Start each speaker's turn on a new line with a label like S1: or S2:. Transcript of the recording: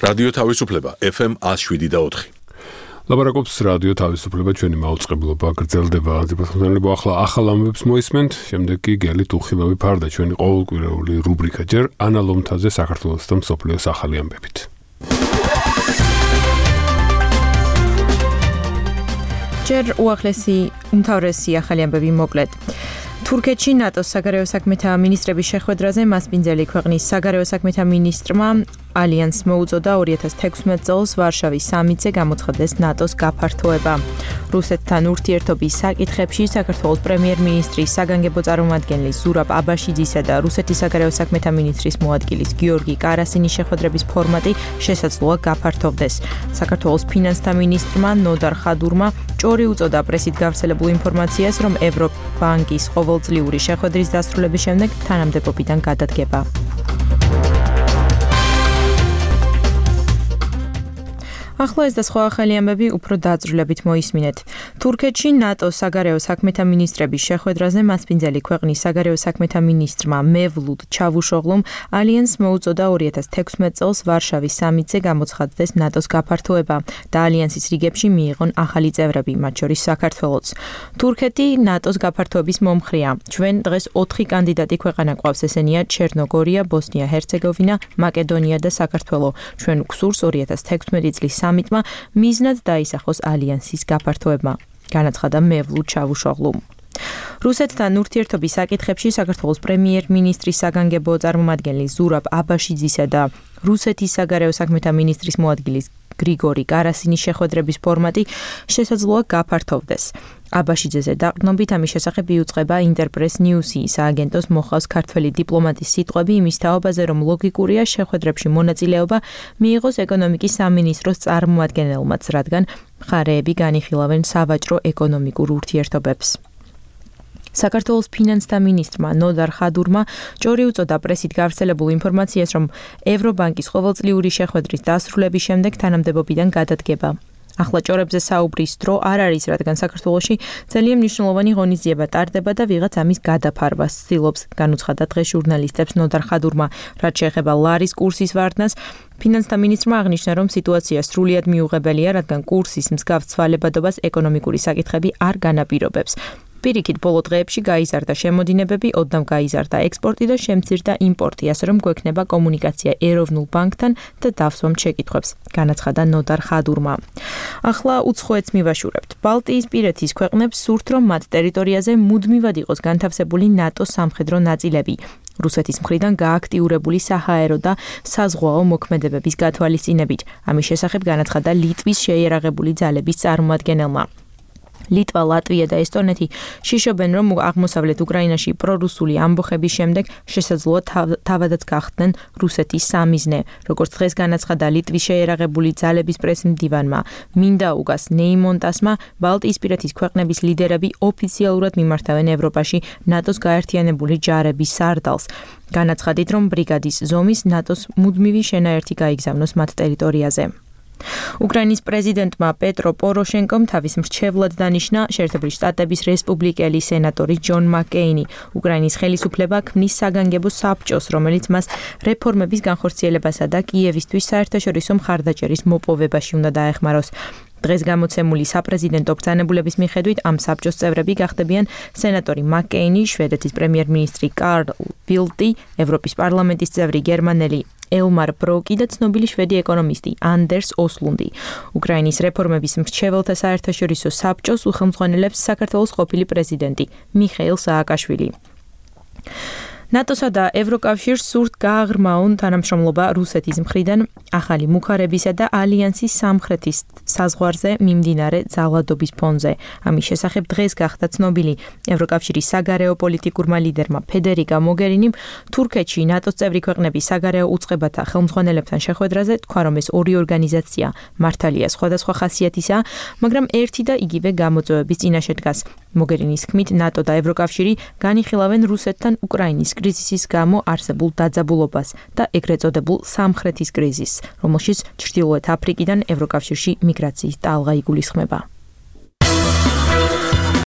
S1: რადიო თავისუფლება FM 107.4.
S2: ლაპარაკობს რადიო თავისუფლება, ჩვენი მაუწყებლობა გრძელდება. ზეპასხმიანებო ახალ ამბებს მოისმენთ, შემდეგ კი გელით უხილავი ფარდა ჩვენი ყოველკვირეული რუბრიკა ჯერ ანალომთაზე საქართველოს და მსოფლიოს ახალი ამბებით.
S3: ჯერ უახლესი უმთავრესი ახალი ამბები მოკლედ. თურქეთში ნატოს საგარეო საქმეთა მინისტრების შეხვედრაზე მასპინძელი ქვეყნის საგარეო საქმეთა მინისტრმა ალიანსს მოუწოდა 2016 წელს ვარშავის სამიტზე გამოცხადდეს ნატოს გაფართოება. რუსეთთან ურთიერთობის საკითხებში საქართველოს პრემიერ-მინისტრის საგანგებო წარმომადგენელი ზურაბ აბაშიძისა და რუსეთის საგარეო საქმეთა მინისტრის მოადგილის გიორგი კარასინის შეხვედრების ფორმატი შესაძლოა გაფართოვდეს. საქართველოს ფინანსთა მინისტრმა ნოდარ ხადურმა ჭორი უწოდა პრესით გავრცელებულ ინფორმაციას, რომ ევრობანკის ყოველწლიური შეხვედრის დასრულების შემდეგ თანამდებობიდან გადადგება. ახლა ეს და სხვა ახალი ამბები უფრო დაწვრილებით მოისმინეთ. თურქეთში ნატოს საგარეო საქმეთა მინისტრების შეხვედრაზე მასპინძელი ქვეყნის საგარეო საქმეთა მინისტრმა მევლუდ ჩავუშოღლუმ ალიანსს მოუწოდა 2016 წელს ვარშავის სამიტზე გამოცხადდეს ნატოს გაფართოება და ალიანსის რიგებში მიიღონ ახალი წევრები, მათ შორის საქართველოც. თურქეთი ნატოს გაფართოების მომხრეა. ჩვენ დღეს 4 კანდიდატი ქვეყანა გვყავს, ესენია ჩერნოგორია, ბოსნია-ჰერცეგოვინა, მაკედონია და საქართველო. ჩვენ გვსურს 2016 წლის სამიტმა მიზნად დაისახოს ალიანსის გაფართოება, განაცხადა მევლუდ ჩავუშოღლუმ. რუსეთთან ურთიერთობის საკითხებში საქართველოს პრემიერ-მინისტრის საგანგებო წარმომადგენელი ზურაბ აბაშიძისა და რუსეთის საგარეო საქმეთა მინისტრის მოადგილის გრიგორი კარასინის შეხვედრების ფორმატი შესაძლოა გაფართოვდეს. აბაშიძეზე დაყრდნობით ამის შესახებ იუწყება ინტერპრეს ნიუსი, სააგენტოს მოხავს ქართველი დიპლომატის სიტყვები იმის თაობაზე, რომ ლოგიკურია შეხვედრებში მონაწილეობა მიიღოს ეკონომიკის სამინისტროს წარმომადგენელმაც, რადგან მხარეები განიხილავენ სავაჭრო-ეკონომიკურ ურთიერთობებს. საქართველოს ფინანსთა მინისტრმა ნოდარ ხადურმა ჭორი უწოდა პრესით გავრცელებულ ინფორმაციას, რომ ევრობანკის ყოველწლიური შეხვედრის დასრულების შემდეგ თანამდებობიდან გადადგება. ახლა ჭორებზე საუბრის დრო არ არის, რადგან საქართველოში ძალიან მნიშვნელოვანი ღონისძიება ტარდება და ვიღაც ამის გადაფარვას ცდილობს, განუცხადა დღეს ჟურნალისტებს ნოდარ ხადურმა. რაც შეეხება ლარის კურსის ვარდნას, ფინანსთა მინისტრმა აღნიშნა, რომ სიტუაცია სრულიად მიუღებელია, რადგან კურსის მსგავს ცვალებადობას ეკონომიკური საკითხები არ განაპირობებს. პირიქით, ბოლო დღეებში გაიზარდა შემოდინებები, ოდნავ გაიზარდა ექსპორტი და შემცირდა იმპორტი, ასე რომ გვექნება კომუნიკაცია ეროვნულ ბანკთან და დავსვამთ შეკითხვებს, განაცხადა ნოდარ ხადურმა. ახლა უცხოეთს მივაშურებთ. ბალტიისპირეთის ქვეყნებს სურთ, რომ მათ ტერიტორიაზე მუდმივად იყოს განთავსებული ნატოს სამხედრო ნაწილები. რუსეთის მხრიდან გააქტიურებული საჰაერო და საზღვაო მოქმედებების გათვალისწინებით. ამის შესახებ განაცხადა ლიტვის შეიარაღებული ძალების წარმომადგენელმა. ლიტვა, ლატვია და ესტონეთი შიშობენ, რომ აღმოსავლეთ უკრაინაში პრორუსული ამბოხების შემდეგ შესაძლოა თავადაც გახდნენ რუსეთის სამიზნე. როგორც დღეს განაცხადა ლიტვის შეიარაღებული ძალების პრესმდივანმა მინდაუგას ნეიმონტასმა, ბალტიისპირეთის ქვეყნების ლიდერები ოფიციალურად მიმართავენ ევროპაში ნატოს გაერთიანებული ჯარების სარდალს. განაცხადით, რომ ბრიგადის ზომის ნატოს მუდმივი შენაერთი გაიგზავნოს მათ ტერიტორიაზე. უკრაინის პრეზიდენტმა პეტრო პოროშენკომ თავის მრჩევლად დანიშნა შეერთებული შტატების რესპუბლიკელი სენატორი ჯონ მაკეინი. უკრაინის ხელისუფლება ქმნის საგანგებო საბჭოს, რომელიც მას რეფორმების განხორციელებასა და კიევისთვის საერთაშორისო მხარდაჭერის მოპოვებაში უნდა დაეხმაროს. დღეს გამოცემული საპრეზიდენტო ბრძანებულების მიხედვით ამ საბჭოს წევრები გახდებიან სენატორი მაკეინი, შვედეთის პრემიერ-მინისტრი კარლ ბილტი, ევროპის პარლამენტის წევრი გერმანელი ელმარ ბროკი და ცნობილი შვედი ეკონომისტი ანდერს ოსლუნდი. უკრაინის რეფორმების მრჩეველთა საერთაშორისო საბჭოს უხელმძღვანელებს საქართველოს ყოფილი პრეზიდენტი მიხეილ სააკაშვილი. ნატოსა და ევროკავშირს სურთ გააღრმაონ თანამშრომლობა რუსეთის მხრიდან ახალი მუხარებისა და ალიანსის სამხრეთის საზღვარზე მიმდინარე ძალადობის ფონზე. ამის შესახებ დღეს გახდა ცნობილი ევროკავშირის საგარეო პოლიტიკურმა ლიდერმა ფედერიკა მოგერინიმ თურქეთში ნატოს წევრი ქვეყნების საგარეო უწყებათა ხელმძღვანელებთან შეხვედრაზე თქვა, რომ ეს ორი ორგანიზაცია მართალია სხვადასხვა ხასიათისაა, მაგრამ ერთი და იგივე გამოწვევების წინაშე დგას. მოგერინის თქმით, ნატო და ევროკავშირი განიხილავენ რუსეთთან უკრაინის კრიზისის გამო არსებულ დაძაბულობას და ეგრეთ წოდებულ სამხრეთის კრიზისს, რომელშიც ჩრდილოეთ აფრიკიდან ევროკავშირში მიგრაციის ტალღა იგულისხმება.